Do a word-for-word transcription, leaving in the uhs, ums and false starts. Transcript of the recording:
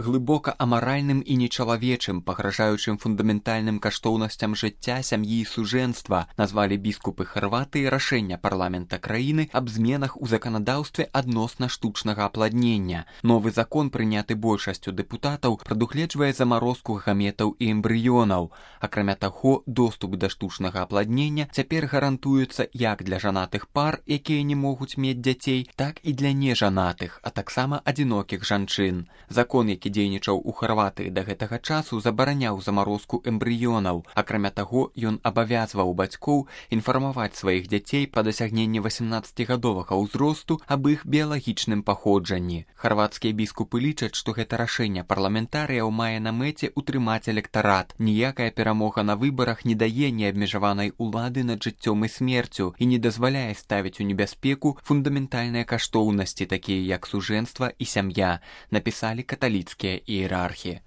Глыбока амаральным і нечалавечым, пагражаючым фундаментальным каштоўнасцям жыцця, сям'і і сужэнства, назвалі біскупы Харватыі рашэння парламента краіны аб зменах у заканадаўстве адносна штучнага апладнення. Новы закон, прыняты большасцю дэпутатаў, прадугледжвае замарозку гаметаў і эмбрыёнаў. Акрамя таго, доступ да штучнага апладнення цяпер гарантуецца як для жанатых пар, якія не могуць мець дзяцей, так і для нежанатых, а таксама адзінокіх жанчын. Закон, які дзейнічаў у Харватыі да гэтага часу, забараняў замарозку эмбрыёнаў. Акрамя таго, ён абавязваў бацькоў інфармаваць сваіх дзяцей па дасягненні васемнаццацігадовага ўзросту аб іх біялагічным паходжанні. Харватскія біскупы лічаць, што гэта рашэнне парламентарыяў мае на мэце утрымаць электарат. Ніякая перамога на выбарах не дае неабмежаванай улады над жыццём і смерцю і не дазваляе ставіць у небяспеку фундаментальныя каштоўнасці, такія як сужэнства і сям'я, напісалі каталіцкія іерархі.